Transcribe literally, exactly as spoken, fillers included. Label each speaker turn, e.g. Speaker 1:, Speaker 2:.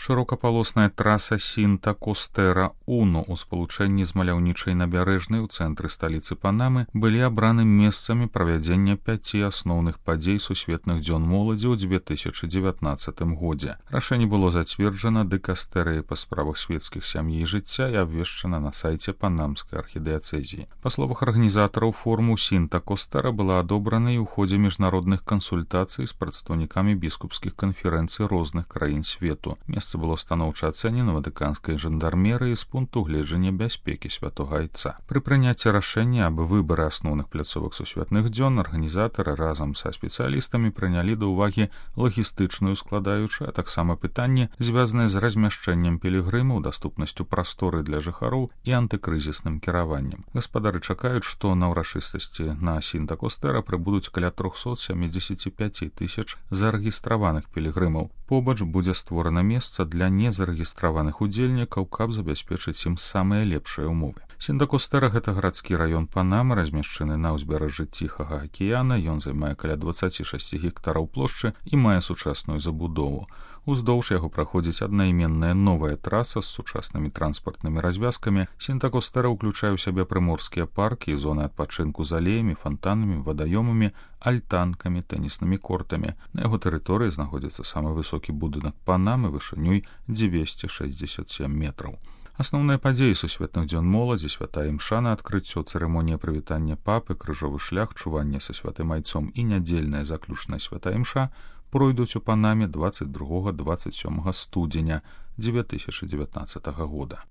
Speaker 1: Шырокапалосная траса Сінта-Костера-Уно ў спалучэнні з маляўнічай набярэжнай у цэнтры сталіцы Панамы былі абраны месцамі правядзення пяці асноўных падзей сусветных дзён моладзі ў дзве тысячы дзевятнаццатым годзе. Рашэнне было зацверджана дыкастэрыяй па справах свецкіх сям'і і жыцця і абвешчана на сайце панамскай архідыяцэзіі. Па словах арганізатараў форуму, Сінта-Костера была адобрана і ў ходзе міжнародных кансультацый з прадстаўнікамі біскупскіх канферэнцый розных краін свету. Месца было станоўча ацэнена ватыканскай жандармерыяй з пункту гледжання бяспекі святога айца. Пры прыняцці рашэння аб выбары асноўных пляцовак сусветных дзён арганізатары разам са спецыялістамі прынялі да ўвагі лагістычную складаючую, а таксама пытанні, звязаныя з размяшчэннем пілігрымаў, даступнасцю прасторы для жыхароў і антыкрызісным кіраваннем. Гаспадары чакаюць, што на ўрачыстасці на Сінта-Костера прыбудуць каля трохсот сямідзесят пяць тысяч зарэгістраваных пілігрымаў. Побач будзе створана месца для незарэгістраваных удзельнікаў, каб забяспечыць ім самыя лепшыя ўмовы. Сінта-Костера — гэта гарадскі раён Панамы, размешчаны на ўзбярэжжы Ціхага акіяна. Ён займае каля дваццаць шэсць гектараў плошчы і мае сучасную забудову. Уздоўж яго праходзіць аднайменная новая траса з сучаснымі транспартнымі развязкамі. Сінта-Костера ўключае ў сябе прыморскія паркі і зоны адпачынку з алеямі, фантанамі, вадаёмамі, альтанкамі, тэніснымі кортамі. На яго тэрыторыі знаходзіцца самы высокі будынак Панамы вышынёй дзвесце шэсцьдзесят сем метраў. Асноўныя падзеі сусветных дзён моладзі, святая імша на адкрыццё, цырымонія прывітання папы, крыжовы шлях, чуванне са святым айцом і нядзельная заключная святая імша пройдуць у Панаме дваццаць другога — дваццаць сёмага студзеня дзве тысячы дзевятнаццатага года.